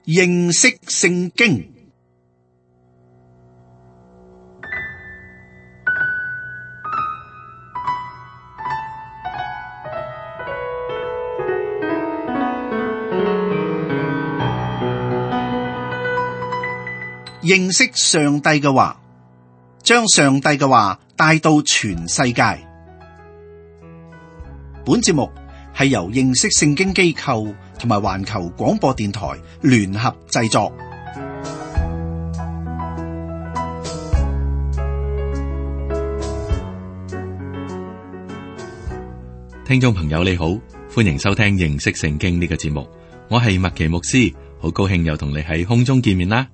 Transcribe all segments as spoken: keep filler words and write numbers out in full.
認識聖經。認識上帝嘅話，將上帝嘅話帶到全世界。本節目係由認識聖經機構同埋環球廣播電台聯合製作。聽眾朋友你好，歡迎收聽認識聖經呢個節目，我係麥奇牧師，好高興又同你喺空中見面啦。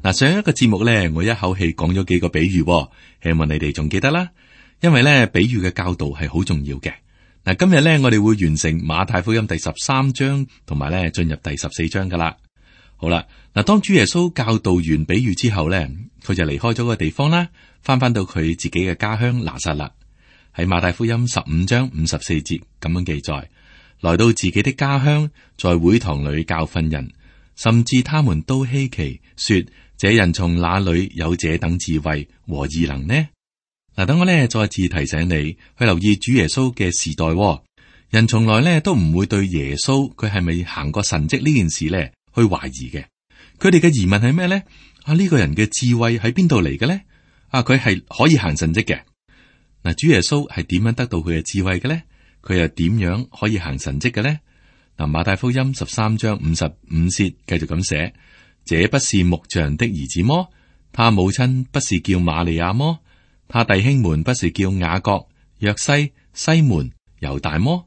嗱，上一個節目咧，我一口氣講咗幾個比喻，希望你哋仲記得啦。因為咧，比喻嘅教導係好重要嘅。嗱，今日咧，我哋會完成馬太福音第十三章，同埋咧進入第十四章噶啦。好啦，嗱，當主耶穌教導完比喻之後咧，佢就離開咗個地方啦，翻翻到佢自己嘅家鄉拿撒勒。喺馬太福音十五章五十四節咁樣記載，來到自己的家鄉，在會堂裏教訓人，甚至他們都稀奇，說：這人從哪裏有這等智慧和異能呢？嗱，等我咧再次提醒你去留意主耶穌嘅時代。人從來咧都唔會對耶穌佢係咪行過神蹟呢件事咧去懷疑嘅。佢哋嘅疑問係咩咧？啊，呢個人嘅智慧喺邊度嚟嘅咧？啊，佢係可以行神蹟嘅。嗱，主耶穌係點樣得到佢嘅智慧嘅咧？佢又點樣可以行神蹟嘅咧？嗱，馬太福音十三章五十五節繼續咁寫。這不是木匠的兒子麼？他母親不是叫瑪利亞麼？他弟兄們不是叫雅各、約西、西門、猶大麼？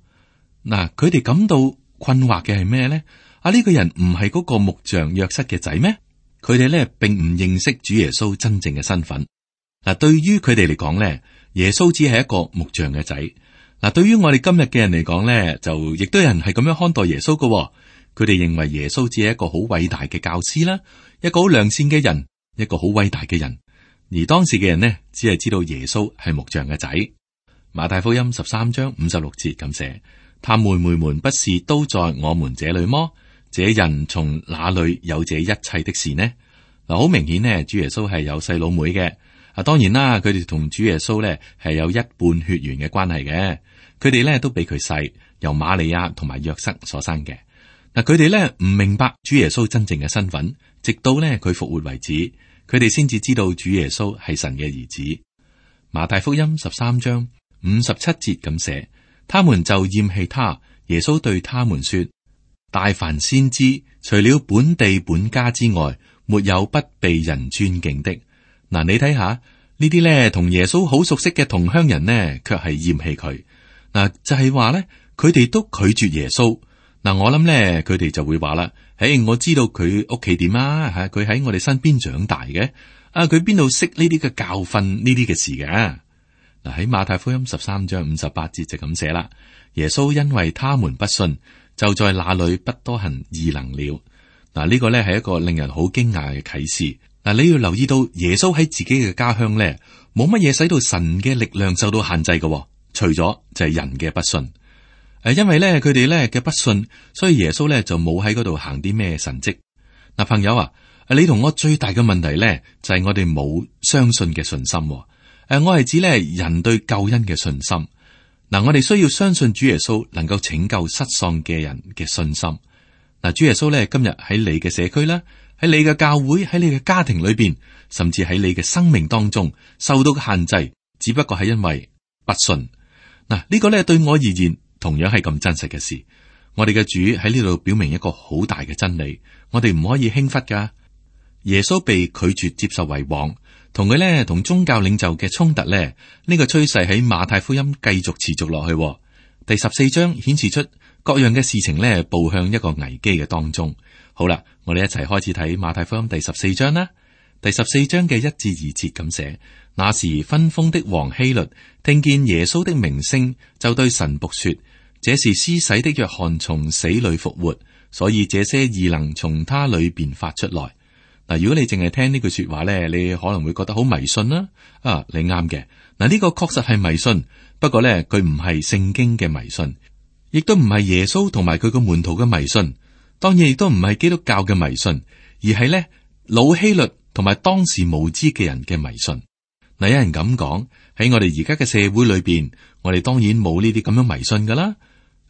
嗱，佢哋感到困惑嘅係咩咧？啊，呢、這個人唔係嗰個木匠約瑟嘅仔咩？佢哋咧並唔認識主耶穌真正嘅身份。嗱，對於佢哋嚟講咧，耶穌只係一個木匠嘅仔。嗱，對於我哋今日嘅人嚟講咧，就亦都有人係咁樣看待耶穌嘅。佢哋認為耶穌只係一個好偉大嘅教師啦，一個好良善嘅人，一個好偉大嘅人。而當時嘅人呢，只係知道耶穌係木匠嘅仔。馬太福音十三章五十六節咁寫：他妹妹們不是都在我們這裏麼？這人從哪裏有這一切的事呢？嗱，好明顯呢，主耶穌係有細佬妹嘅。啊，當然啦，佢哋同主耶穌呢係有一半血緣嘅關係嘅。佢哋呢都比佢細，由瑪利亞同埋約瑟所生嘅。嗱，佢哋咧唔明白主耶穌真正嘅身份，直到咧佢復活為止，佢哋先至知道主耶穌係神嘅兒子。馬太福音十三章五十七節咁寫，他們就厭棄他。耶穌對他們說：大凡先知，除了本地本家之外，沒有不被人尊敬的。嗱，你睇下呢啲咧同耶穌好熟悉嘅同鄉人呢，卻係厭棄佢。嗱，就係話咧，佢哋都拒絕耶穌。嗱，我諗咧，佢哋就會話啦，誒，我知道佢屋企點啊，吓，佢喺我哋身邊長大嘅，啊，佢邊度識呢啲嘅教訓呢啲嘅事嘅？嗱，喺馬太福音十三章五十八節就咁寫啦，耶穌因為他們不信，就在那裏不多行異能了。嗱，呢個咧係一個令人好驚訝嘅啟示。嗱，你要留意到耶穌喺自己嘅家鄉咧，冇乜嘢使到神嘅力量受到限制嘅，除咗就係人嘅不信。誒，因為咧佢哋咧嘅不信，所以耶穌咧就冇喺嗰度行啲咩神蹟。嗱，朋友啊，你同我最大嘅問題咧就係我哋冇相信嘅信心。誒，我係指咧人對救恩嘅信心。嗱，我哋需要相信主耶穌能夠拯救失喪嘅人嘅信心。嗱，主耶穌咧今日喺你嘅社區啦，喺你嘅教會，喺你嘅家庭裏邊，甚至喺你嘅生命當中受到嘅限制，只不過係因為不信。嗱，呢個咧對我而言，同樣係咁真實嘅事，我哋嘅主喺呢度表明一個好大嘅真理，我哋唔可以輕忽噶。耶穌被拒絕接受為王，同佢咧同宗教領袖嘅衝突咧，呢個趨勢喺馬太福音繼續持續落去。第十四章顯示出各樣嘅事情咧步向一個危機嘅當中。好啦，我哋一齊開始睇馬太福音第十四章啦。第十四章嘅一至二節咁寫。那時分封的王希律聽見耶穌的名聲，就對神僕說：這是施洗的約翰從死裏復活，所以這些異能從他裏邊發出來。嗱，如果你淨係聽呢句說話咧，你可能會覺得好迷信啦。啊，你啱嘅。嗱，呢個確實係迷信，不過咧佢唔係聖經嘅迷信，亦都唔係耶穌同埋佢個門徒嘅迷信。當然亦都唔係基督教嘅迷信，而係咧老希律同埋當時無知嘅人嘅迷信。嗱，有人咁講，喺我哋而家嘅社會裏邊，我哋當然冇呢啲咁樣迷信噶啦。誒、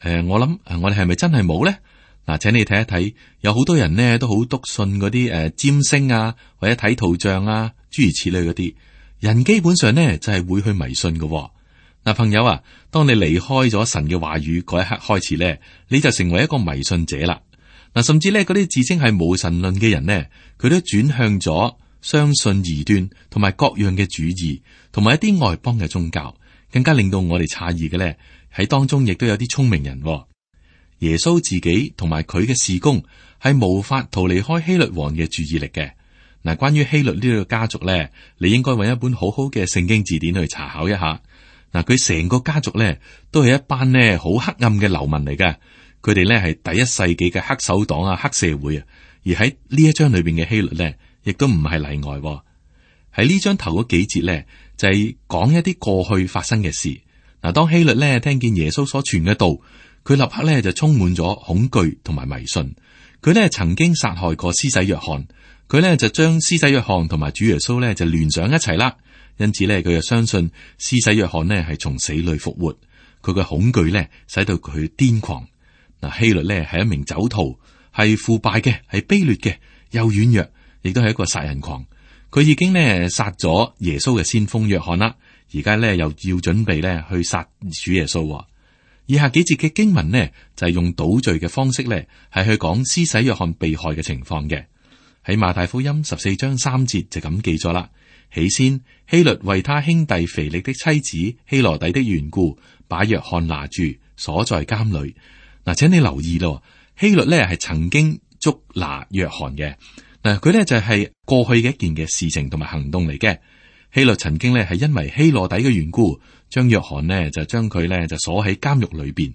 呃，我諗誒，我哋係咪真係冇咧？嗱，請你睇一睇，有好多人呢都好篤信嗰啲誒占星啊，或者睇圖像啊，諸如此類嗰啲人，基本上呢就係、是、會去迷信嘅、哦。嗱，朋友啊，當你離開咗神嘅話語嗰一刻開始咧，你就成為一個迷信者啦。嗱，甚至咧嗰啲自稱係無神論嘅人呢，佢都轉向咗相信異端同埋各樣嘅主義，同埋一啲外邦嘅宗教。更加令到我哋詫異嘅咧，喺當中亦都有啲聰明人、哦。耶穌自己同埋佢嘅事工係無法逃離開希律王嘅注意力嘅。嗱，關於希律呢個家族咧，你應該揾一本好好嘅聖經字典去查考一下。嗱，佢成個家族咧都係一班呢好黑暗嘅流民嚟嘅。佢哋咧係第一世紀嘅黑手黨啊、黑社會啊。而喺呢一章裏邊嘅希律咧，亦都唔係例外。喺呢章頭嗰幾節咧，就係講一啲過去發生嘅事。嗱，當希律咧聽見耶穌所傳嘅道，佢立刻咧就充滿咗恐懼同埋迷信。佢咧曾經殺害過施洗約翰，佢咧就將施洗約翰同埋主耶穌咧就聯想一齊啦。因此咧，佢就相信施洗約翰呢係從死裏復活。佢嘅恐懼咧使到佢癲狂。嗱，希律咧係一名酒徒，係腐敗嘅，係卑劣嘅，又軟弱，亦都係一個殺人狂。佢已經咧殺咗耶穌嘅先鋒約翰啦，而家咧又要準備咧去殺主耶穌。以下幾節嘅經文呢，就係用倒敘嘅方式咧，係去講施洗約翰被害嘅情況嘅。喺馬太福音十四章三節就咁記咗啦。起先，希律為他兄弟腓力的妻子希羅底的緣故，把約翰拿住，鎖在監裏。嗱，請你留意咯，希律咧係曾經捉拿約翰嘅。嗱，佢咧就係過去嘅一件嘅事情同埋行動嚟嘅。希律曾經咧係因為希羅底嘅緣故，將約翰呢就將佢咧就鎖喺監獄裏邊。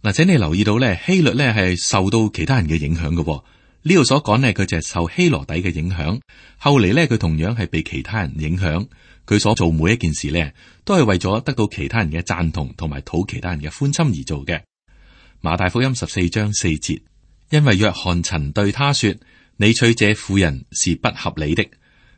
嗱，請你留意到咧，希律咧係受到其他人嘅影響嘅。呢度所講呢，佢就係受希羅底嘅影響。後嚟呢，佢同樣係被其他人影響。佢所做每一件事呢，都係為咗得到其他人嘅贊同，同埋討其他人嘅歡心而做嘅。馬太福音十四章四節，因為約翰曾對他說：你娶這婦人是不合理的。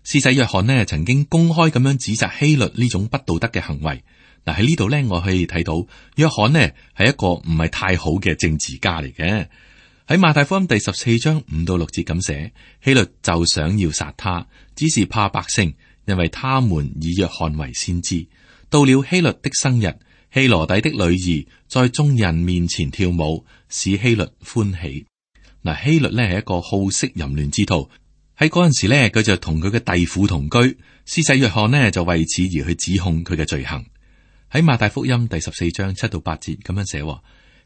施洗約翰呢，曾經公開咁樣指責希律呢種不道德嘅行為。嗱，喺呢度呢，我可以睇到約翰呢係一個唔係太好嘅政治家嚟嘅。喺馬太福音第十四章五到六節咁寫，希律就想要殺他，只是怕百姓，因為他們以約翰為先知。到了希律的生日，希羅底的女兒在眾人面前跳舞，使希律歡喜。嗱，希律呢係一個好色淫亂之徒。喺嗰陣時呢，佢就同佢嘅弟婦同居。施洗約翰呢就為此而去指控佢嘅罪行。喺馬太福音第十四章七到八節咁樣寫，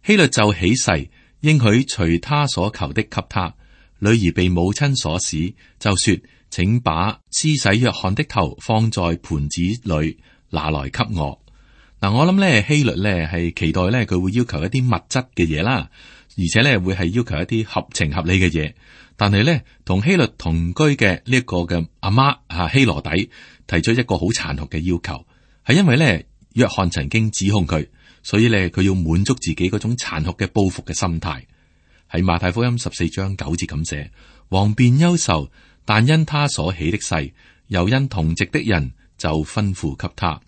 希律就起誓，應許隨他所求的給他。女兒被母親所使，就說：請把施洗約翰的頭放在盤子裏，拿來給我。嗱，我諗咧希律咧係期待咧佢會要求一啲物質嘅嘢啦，而且咧會係要求一啲合情合理嘅嘢。但係咧同希律同居嘅呢一個嘅阿媽啊希羅底提出一個好殘酷嘅要求，係因為咧約翰曾經指控佢。所以咧，佢要滿足自己嗰種殘酷嘅報復嘅心態。喺馬太福音十四章九節咁寫，王便憂愁，但因他所起的誓，又因同席的人，就吩咐給他。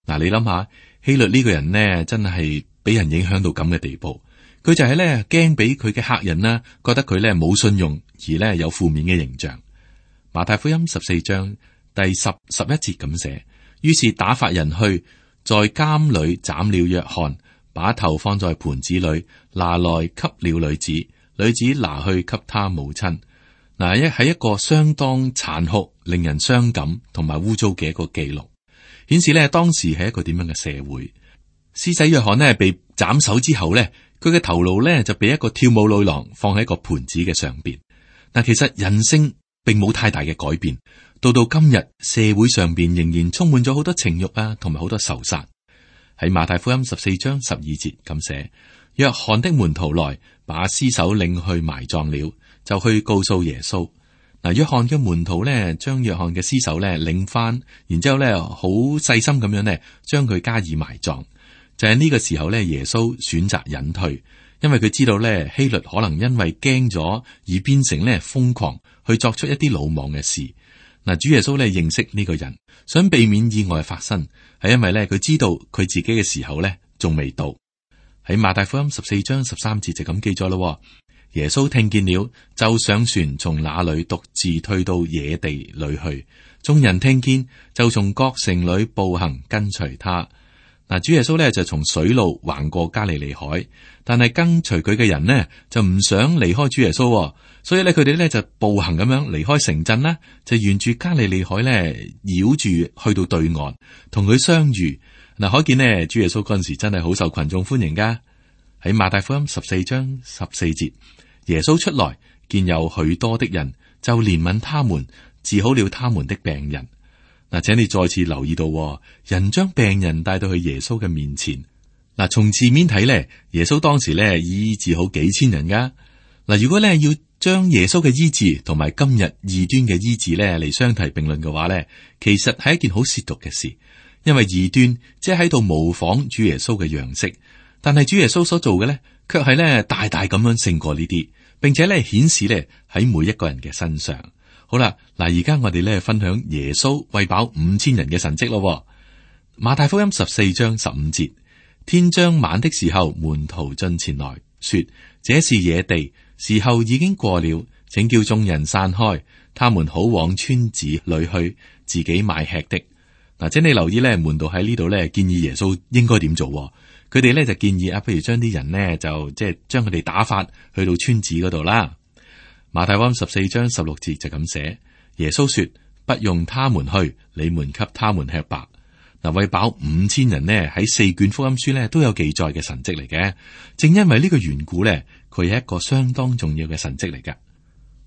嗱，你諗下，希律呢個人呢，真係俾人影響到咁嘅地步。佢就係咧驚俾佢嘅客人啦，覺得佢咧冇信用，而咧有負面嘅形象。馬太福音十四章第十十一節咁寫，於是打發人去。在監裏斬了約翰，把頭放在盤子裏，拿來給了女子，女子拿去給他母親。嗱，一係一個相當殘酷、令人傷感同埋污糟嘅一個記錄，顯示咧當時係一個點樣嘅社會。施洗約翰呢被斬首之後呢，佢嘅頭顱呢就被一個跳舞女郎放喺個盤子嘅上邊。嗱，其實人性並冇太大嘅改變。到到今日，社會上邊仍然充滿咗好多情欲啊，同埋好多仇殺。喺馬太福音十四章十二節咁寫，約翰的門徒來把屍首領去埋葬了，就去告訴耶穌。嗱，約翰嘅門徒咧，將約翰嘅屍首咧領翻，然之後咧好細心咁樣咧將佢加以埋葬。就係呢個時候咧，耶穌選擇隱退，因為佢知道咧希律可能因為驚咗而變成咧瘋狂去作出一啲魯莽嘅事。嗱，主耶穌咧認識呢個人，想避免意外發生，係因為咧佢知道佢自己嘅時候咧仲未到。喺馬太福音十四章十三節就咁記咗咯。耶穌聽見了，就上船，從那裏獨自退到野地裏去。眾人聽見，就從各城裏步行跟隨他。嗱，主耶穌咧就從水路橫過加利利海，但係跟隨佢嘅人呢就唔想離開主耶穌，所以咧佢哋咧就步行咁樣離開城鎮啦，就沿住加利利海咧繞住去到對岸，同佢相遇。嗱，可見呢，主耶穌嗰陣時真係好受群眾歡迎噶。喺馬太福音十四章十四節，耶穌出來見有許多的人，就憐憫他們，治好了他們的病人。嗱，請你再次留意到，人將病人帶到去耶穌嘅面前。嗱，從字面睇咧，耶穌當時咧醫治好幾千人噶。嗱，如果咧要將耶穌嘅醫治同埋今日異端嘅醫治咧嚟相提並論嘅話咧，其實係一件好褻瀆嘅事。因為異端即係喺度模仿主耶穌嘅樣式，但係主耶穌所做嘅咧，卻係咧大大咁樣勝過呢啲，並且咧顯示咧喺每一個人嘅身上。好啦，嗱，而家我哋咧分享耶穌餵飽五千人嘅神蹟咯。馬太福音十四章十五節，天將晚的時候，門徒進前來說：這是野地，時候已經過了，請叫眾人散開，他們好往村子裏去，自己買吃的。嗱，請你留意咧，門徒喺呢度咧建議耶穌應該點做。佢哋咧就建議啊，不如將啲人呢，就即係將佢哋打發去到村子嗰度啦。馬太福音十四章十六節就咁寫，耶穌說：不用他們去，你們給他們吃吧。嗱，餵飽五千人呢，喺四卷福音書咧都有記載嘅神蹟嚟嘅。正因為呢個緣故咧，佢係一個相當重要嘅神蹟嚟㗎。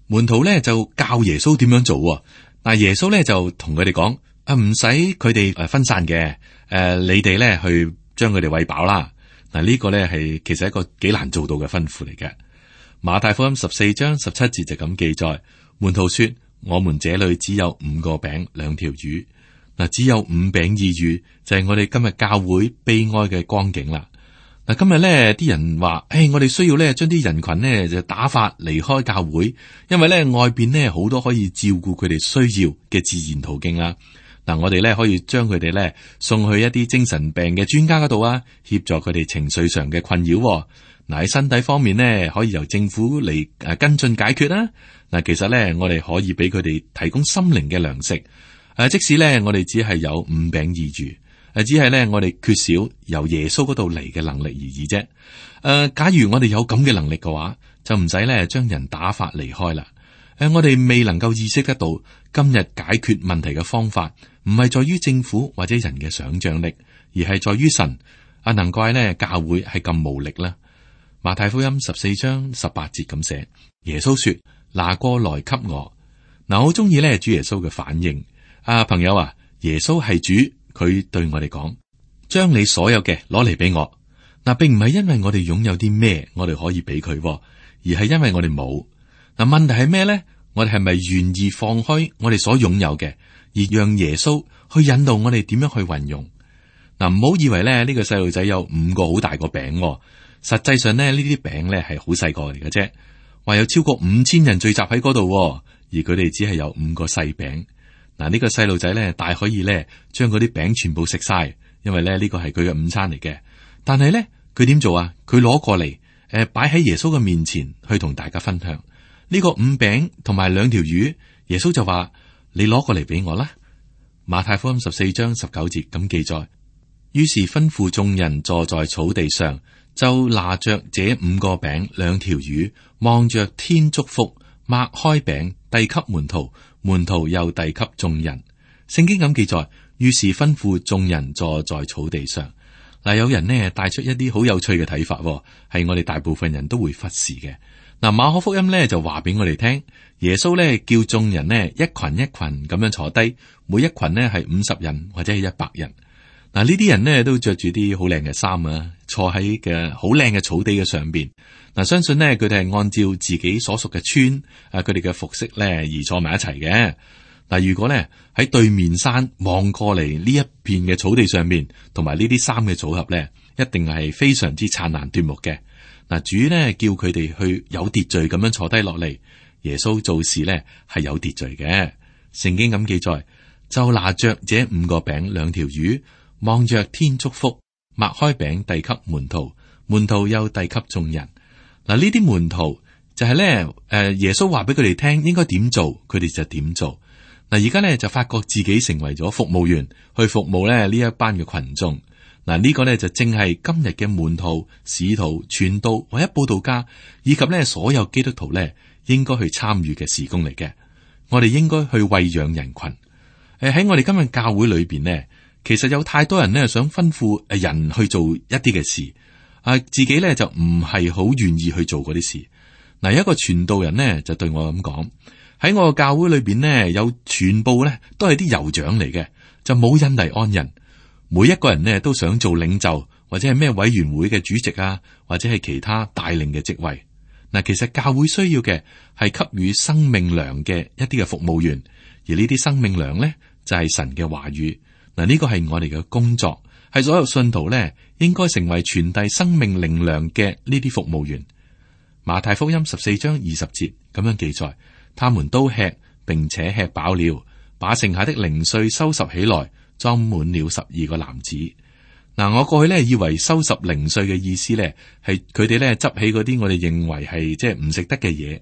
門徒咧就教耶穌點樣做。嗱，耶穌咧就同佢哋講。啊，唔使佢哋誒分散嘅，誒、呃，你哋咧去將佢哋餵飽啦。嗱，呢個咧係其實一個幾難做到嘅吩咐嚟嘅。馬太福音十四章十七節就咁記載，門徒說：我們這裏只有五個餅兩條魚。嗱，只有五餅二魚就係、是、我哋今日教會悲哀嘅光景啦。嗱，今日咧啲人話：誒、哎，我哋需要咧將啲人群呢就打發離開教會，因為咧外邊呢好多可以照顧佢哋需要嘅自然途徑啦。嗱，我哋咧可以將佢哋咧送去一啲精神病嘅專家嗰度啊，協助佢哋情緒上嘅困擾。嗱，喺身體方面呢，可以由政府嚟誒跟進解決啦。嗱，其實咧我哋可以俾佢哋提供心靈嘅糧食。誒，即使咧我哋只係有五餅二魚，誒，只係咧我哋缺少由耶穌嗰度嚟嘅能力而已啫。誒，假如我哋有咁嘅能力嘅話，就唔使咧將人打發離開啦。誒，我哋未能夠意識得到今日解決問題嘅方法，唔係在於政府或者人嘅想象力，而係在於神。啊，難怪呢教會係咁無力啦。馬太福音十四章十八節咁寫，耶穌說：拿過來給我。嗱，我好中意咧主耶穌嘅反應。啊，朋友啊，耶穌係主，佢對我哋講：將你所有嘅攞嚟俾我。嗱，並唔係因為我哋擁有啲咩，我哋可以俾佢，而係因為我哋冇。嗱，問題係咩咧？我哋係咪願意放開我哋所擁有嘅，而讓耶穌去引導我哋點樣去運用？嗱，唔好以為咧呢個細路仔有五個好大個餅，實際上咧呢啲餅咧係好細個嚟嘅啫。話有超過五千人聚集喺嗰度，而佢哋只係有五個細餅。嗱，呢個細路仔咧大可以咧將嗰啲餅全部食晒，因為咧呢個係佢嘅午餐嚟嘅。但係咧佢點做啊？佢攞過嚟，誒擺喺耶穌嘅面前去同大家分享。呢個五餅同埋兩條魚，耶穌就話：你攞過嚟俾我啦。馬太福音十四章十九節咁記載，於是吩咐眾人坐在草地上，就拿着這五個餅兩條魚，望着天祝福，擘開餅遞給門徒，門徒又遞給眾人。聖經咁記載，於是吩咐眾人坐在草地上。嗱，有人呢帶出一啲好有趣嘅睇法，係我哋大部分人都會忽視嘅。嗱，馬可福音咧就話俾我哋聽，耶穌咧叫眾人呢一群一群咁樣坐低，每一群呢係五十人或者係一百人。嗱，呢啲人呢都着住啲好靚嘅衫啊，坐喺嘅好靚嘅草地嘅上邊。嗱，相信呢，佢哋係按照自己所屬嘅村啊，佢哋嘅服飾咧而坐埋一齊嘅。嗱，如果咧喺對面山望過嚟呢一片嘅草地上面，同埋呢啲衫嘅組合咧，一定係非常之燦爛奪目嘅。嗱，主咧叫佢哋去有秩序咁樣坐低落嚟。耶穌做事咧係有秩序嘅。聖經咁記載，就拿着這五個餅兩條魚，望着天祝福，擘開餅遞給門徒，門徒又遞給眾人。嗱，呢啲門徒就係咧，誒，耶穌話俾佢哋聽應該點做，佢哋就點做。嗱，而家咧就發覺自己成為咗服務員，去服務咧呢一班嘅群眾。嗱，呢個咧就正係今日嘅門徒、使徒、傳道或者佈道家，以及咧所有基督徒咧應該去參與嘅事工嚟嘅。我哋應該去餵養人群。誒，喺我哋今日教會裏邊呢，其實有太多人呢想吩咐誒人去做一啲嘅事，啊，自己咧就唔係好願意去做嗰啲事。嗱，一個傳道人呢就對我咁講，喺我嘅教會裏邊呢，有全部咧都係啲酋長嚟嘅，就冇印第安人。每一個人呢都想做領袖，或者係咩委員會嘅主席啊，或者係其他帶領嘅職位。嗱，其實教會需要嘅係給予生命糧嘅一啲嘅服務員，而呢啲生命糧咧就係神嘅話語。嗱，呢個係我哋嘅工作，係所有信徒咧應該成為傳遞生命靈糧嘅呢啲服務員。馬太福音十四章二十節咁樣記載，他們都吃，並且吃飽了，把剩下的零碎收拾起來，裝滿了十二個籃子。嗱，我過去咧以為收拾零碎嘅意思咧係佢哋咧執起嗰啲我哋認為係即係唔食得嘅嘢。誒、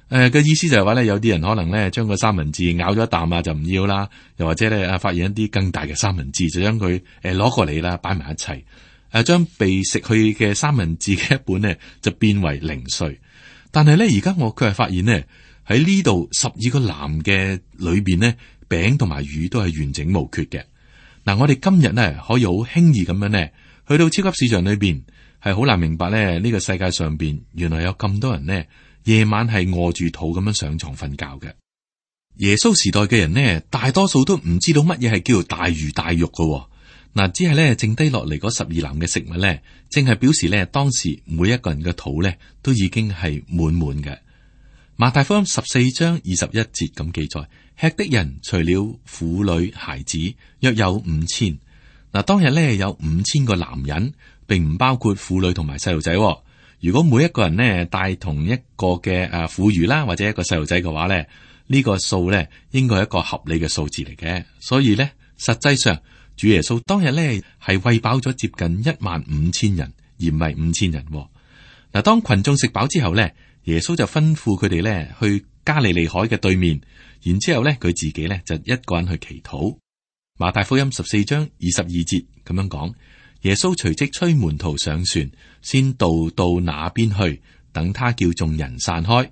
呃、嘅意思就係話咧，有啲人可能咧將個三文治咬咗一啖啊就唔要啦，又或者咧啊發現一啲更大嘅三文治就將佢誒攞過嚟啦，擺埋一齊。誒，將被食去嘅三文治嘅一半呢就變為零碎。但係咧而家我卻係發現呢，喺呢度十二個籃嘅裏邊呢，餅同埋魚都係完整無缺嘅。嗱，我哋今日呢可以好輕易咁樣呢去到超級市場裏邊，係好難明白咧呢個世界上邊原來有咁多人呢夜晚係餓住肚咁樣上床瞓覺嘅。耶穌時代嘅人呢，大多數都唔知道乜嘢係叫做大魚大肉噶。嗱，只係咧剩低落嚟嗰十二籃嘅食物咧，正係表示咧當時每一個人嘅肚咧都已經係滿滿嘅。馬太福音十四章二十一節咁記載，吃的人除了婦女孩子，約有五千。嗱，當日咧有五千個男人，並唔包括婦女同埋細路仔。如果每一個人呢帶同一個嘅誒婦孺啦，或者一個細路仔嘅話咧，呢個數咧應該係一個合理嘅數字嚟嘅。所以咧，實際上主耶穌當日咧係餵飽咗接近一萬五千人，而唔係五千人。嗱，當群眾食飽之後咧，耶穌就吩咐佢哋咧去加利利海嘅對面，然之後咧佢自己咧就一個人去祈禱。馬太福音十四章二十二節咁樣講，耶穌隨即催門徒上船，先渡到那邊去，等他叫眾人散開。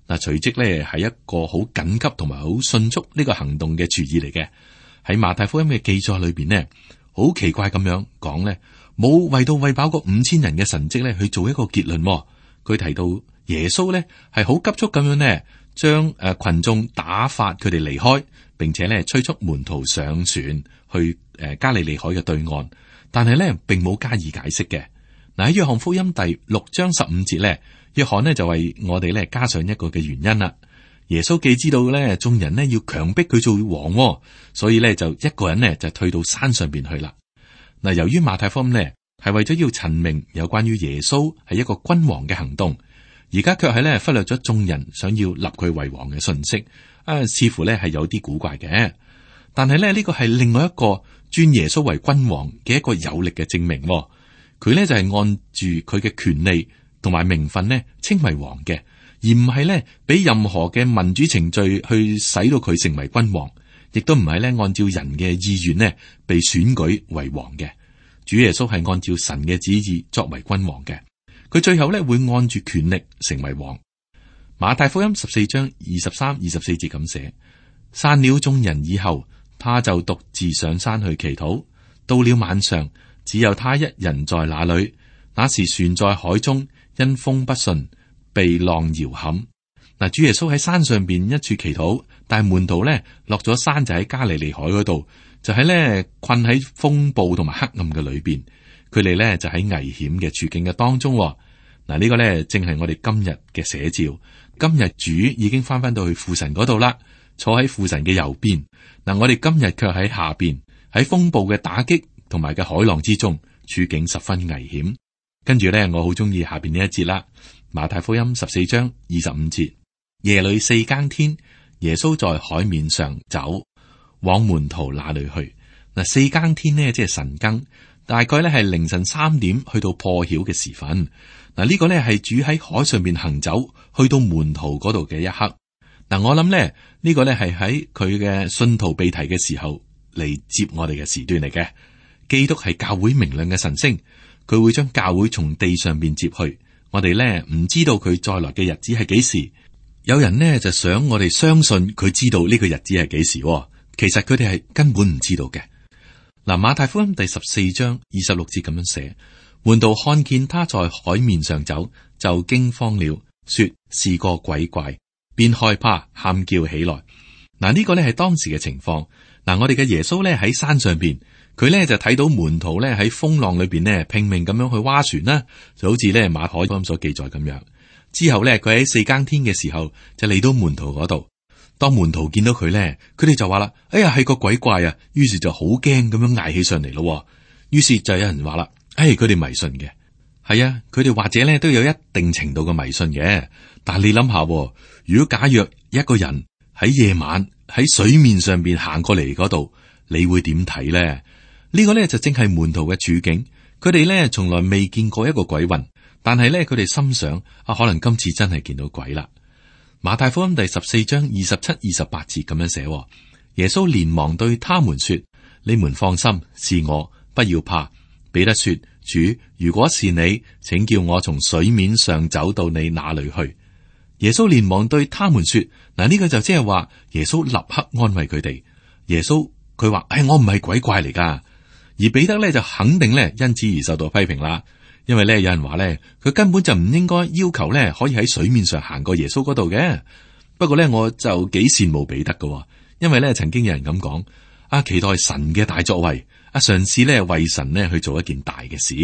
嗱，隨即咧係一個好緊急同埋好迅速呢個行動嘅注意嚟嘅。喺馬太福音嘅記載裏邊呢，好奇怪咁樣講呢，冇為到餵飽個五千人嘅神蹟咧去做一個結論。佢提到耶穌呢係好急速咁樣呢，將誒群眾打發佢哋離開，並且咧催促門徒上船去誒加利利海嘅對岸，但係咧並冇加以解釋嘅。嗱，喺約翰福音第六章十五節咧，約翰呢就為我哋咧加上一個嘅原因啦。耶穌既知道咧眾人呢要強迫佢做王，所以咧就一個人呢就退到山上邊去啦。嗱，由於馬太福音呢係為咗要陳明有關於耶穌係一個君王嘅行動，而家卻係咧忽略咗眾人想要立佢為王嘅信息，啊，似乎咧係有啲古怪嘅。但係咧呢個係另外一個尊耶穌為君王嘅一個有力嘅證明。佢咧就係按住佢嘅權利同埋名分呢稱為王嘅，而唔係咧俾任何嘅民主程序去使到佢成為君王，亦都唔係咧按照人嘅意願呢被選舉為王嘅。主耶穌係按照神嘅旨意作為君王嘅，佢最後咧會按住權力成為王。馬太福音十四章二十三、二十四節咁寫：散了眾人以後，他就獨自上山去祈禱。到了晚上，只有他一人在那裏。那時船在海中，因風不順，被浪搖撼。嗱，主耶穌喺山上邊一處祈禱，但係門徒咧落咗山就喺加利利海嗰度，就喺咧困喺風暴同埋黑暗嘅裏邊，佢哋咧就喺危險嘅處境嘅當中。嗱，呢個咧正係我哋今日嘅寫照。今日主已經翻翻到去父神嗰度啦，坐喺父神嘅右邊。嗱，我哋今日卻喺下邊，喺風暴嘅打擊同埋嘅海浪之中，處境十分危險。跟住咧，我好中意下邊呢一節啦。馬太福音十四章二十五節，夜裏四更天，耶穌在海面上走，往門徒那裏去。嗱，四更天呢，即係晨更，大概咧係凌晨三點去到破曉嘅時分。嗱，呢個咧係主喺海上面行走，去到門徒嗰度嘅一刻。嗱，我諗咧呢個咧係喺佢嘅信徒被提嘅時候嚟接我哋嘅時段嚟嘅。基督係教會明亮嘅晨星，佢會將教會從地上邊接去。我哋咧唔知道佢再來嘅日子係幾時。有人呢就想我哋相信佢知道呢個日子係幾時，其實佢哋係根本唔知道嘅。嗱，馬太福音第十四章二十六節咁樣寫，門徒看見他在海面上走，就驚慌了，說是個鬼怪，便害怕，喊叫起來。嗱，呢個咧係當時嘅情況。嗱，我哋嘅耶穌咧喺山上邊，佢咧就睇到門徒咧喺風浪裏邊咧拼命咁樣去划船啦，就好似咧馬可福音所記載咁樣。之後咧，佢喺四更天嘅時候就嚟到門徒嗰度。當門徒見到佢咧，佢哋就話啦：哎呀，係個鬼怪啊！於是就好驚咁樣嗌起上嚟咯。於是就有人話啦：哎，佢哋迷信嘅。係啊，佢哋或者咧都有一定程度嘅迷信嘅。但係你諗下，如果假若一個人喺夜晚喺水面上邊行過嚟嗰度，你會點睇咧？呢個咧就正係門徒嘅處境。佢哋咧從來未見過一個鬼魂，但係咧佢哋心想啊，可能今次真係見到鬼啦。馬太福音第十四章二十七、二十八節咁樣寫，耶穌連忙對他們說：你們放心，是我，不要怕。彼得說：主，如果是你，請叫我從水面上走到你那裏去。耶穌連忙對他們說：嗱，呢個就即係話耶穌立刻安慰佢哋。耶穌佢話：唉，我唔係鬼怪嚟噶。而彼得咧就肯定咧因此而受到批評啦。因為咧，有人話咧，佢根本就唔應該要求咧，可以喺水面上行過耶穌嗰度嘅。不過咧，我就幾羨慕彼得㗎，因為咧，曾經有人咁講，啊，期待神嘅大作為，啊，嘗試咧為神咧去做一件大嘅事。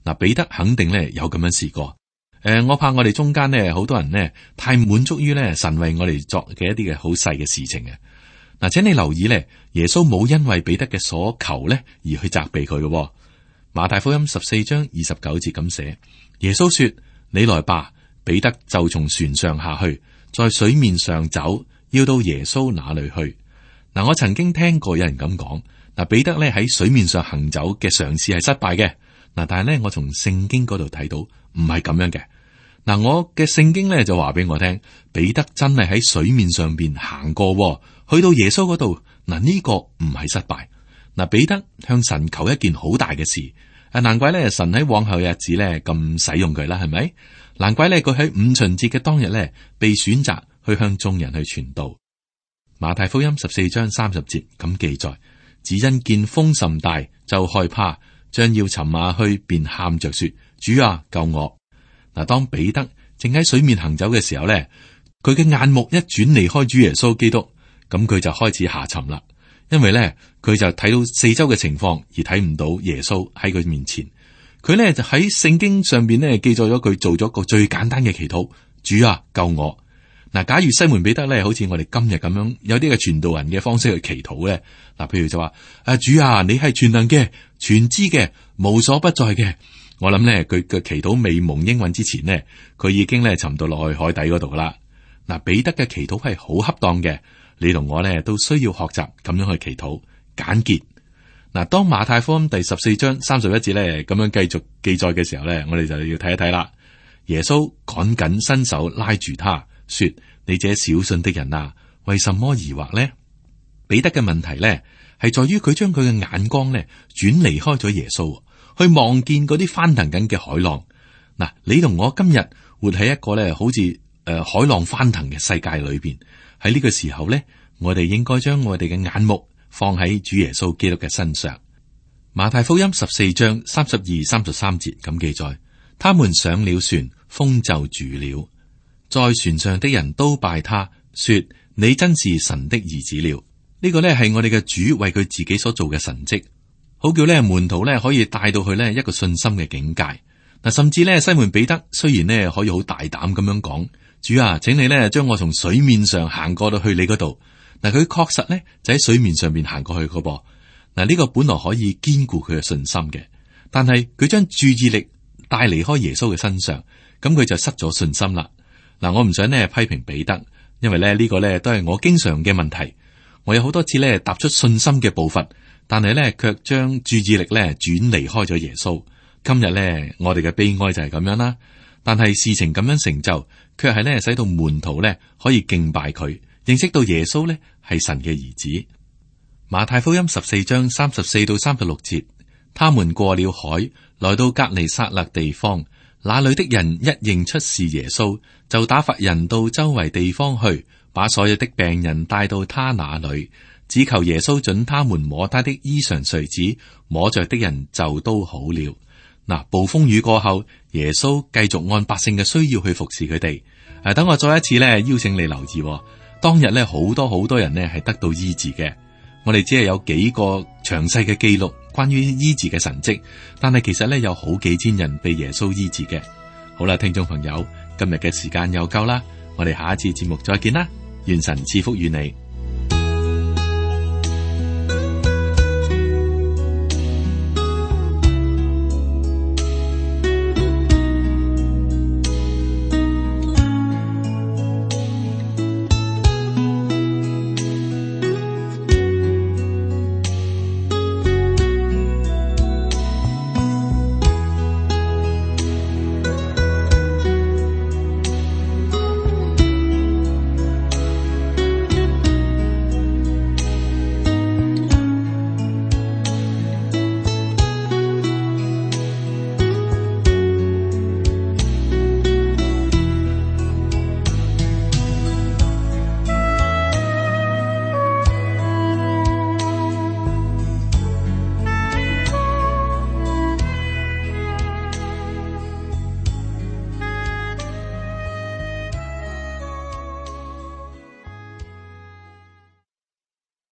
嗱，彼得肯定咧有咁樣試過。誒、呃，我怕我哋中間咧，好多人呢太滿足於咧神為我哋作嘅一啲嘅好細嘅事情嘅。嗱，請你留意咧，耶穌冇因為彼得嘅所求咧而去責備佢嘅。馬太福音十四章二十九節咁寫，耶穌說：你來吧。彼得就從船上下去，在水面上走，要到耶穌那裏去。嗱，我曾經聽過有人咁講，嗱，彼得咧喺水面上行走嘅嘗試係失敗嘅。嗱，但係咧我從聖經嗰度睇到唔係咁樣嘅。嗱，我嘅聖經咧就話俾我聽，彼得真係喺水面上邊行過，去到耶穌嗰度。嗱，呢個唔係失敗。嗱，彼得向神求一件好大嘅事，啊，難怪咧神喺往後嘅日子咧咁使用佢啦，係咪？難怪咧佢喺五旬節嘅當日咧被選擇去向眾人去傳道。馬太福音十四章三十節咁記載，只因見風甚大，就害怕，將要沉下去，便喊着說：主啊，救我！嗱，當彼得正喺水面行走嘅時候咧，佢嘅眼目一轉離開主耶穌基督，咁佢就開始下沉啦。因為咧，佢就睇到四周嘅情況，而睇唔到耶穌喺佢面前。佢咧就喺聖經上邊咧記載咗佢做咗個最簡單嘅祈禱：主啊，救我！嗱，假如西門彼得咧，好似我哋今日咁樣，有啲嘅傳道人嘅方式去祈禱咧，嗱，譬如就話：啊，主啊，你係全能嘅、全知嘅、無所不在嘅。我諗咧，佢嘅祈禱未蒙應允之前呢，佢已經咧沉到落去海底嗰度啦。嗱，彼得嘅祈禱係好恰當嘅。你同我咧都需要學習咁樣去祈禱簡潔。嗱，當馬太福音第十四章三十一節咧咁樣繼續記載嘅時候咧，我哋就要睇一睇啦。耶穌趕緊伸手拉住他，說：你這小信的人啊，為什麼疑惑呢？彼得嘅問題咧係在於佢將佢嘅眼光咧轉離開咗耶穌，去望見嗰啲翻騰緊嘅海浪。嗱，你同我今日活喺一個咧好似誒、呃、海浪翻騰嘅世界裏邊。喺呢個時候咧，我哋應該將我哋嘅眼目放喺主耶穌基督嘅身上。馬太福音十四章三十二、三十三節咁記載，他們上了船，風就住了。在船上的人都拜他，說：你真是神的兒子了。呢個咧係我哋嘅主為佢自己所做嘅神蹟，好叫咧門徒咧可以帶到去咧一個信心嘅境界。嗱，甚至咧西門彼得雖然咧可以好大膽咁樣講。主啊，請你咧將我從水面上行過到去你嗰度。嗱，佢確實咧就喺水面上面行過去嗰噃。嗱，呢個本來可以堅固佢嘅信心嘅，但係佢將注意力帶離開耶穌嘅身上，咁佢就失咗信心啦。嗱，我唔想呢批評彼得，因為咧呢個咧都係我經常嘅問題。我有好多次咧踏出信心嘅步伐，但係咧卻將注意力咧轉離開咗耶穌。今日咧我哋嘅悲哀就係咁樣啦。但係事情咁樣成就，卻係咧使到門徒咧可以敬拜佢，認識到耶穌咧係神嘅兒子。馬太福音十四章三十四到三十六節，他們過了海，來到革尼撒勒地方，那裏的人一認出是耶穌，就打發人到周圍地方去，把所有的病人帶到他那裏，只求耶穌准他們摸他的衣裳繸子，摸着的人就都好了。嗱，暴風雨過後，耶穌繼續按百姓嘅需要去服侍佢哋。誒、啊，等我再一次咧邀請你留意、哦，當日咧好多好多人呢係得到醫治嘅。我哋只係有幾個詳細嘅記錄關於醫治嘅神蹟，但係其實咧有好幾千人被耶穌醫治嘅。好啦，聽眾朋友，今日嘅時間又夠啦，我哋下一次節目再見啦，願神賜福與你。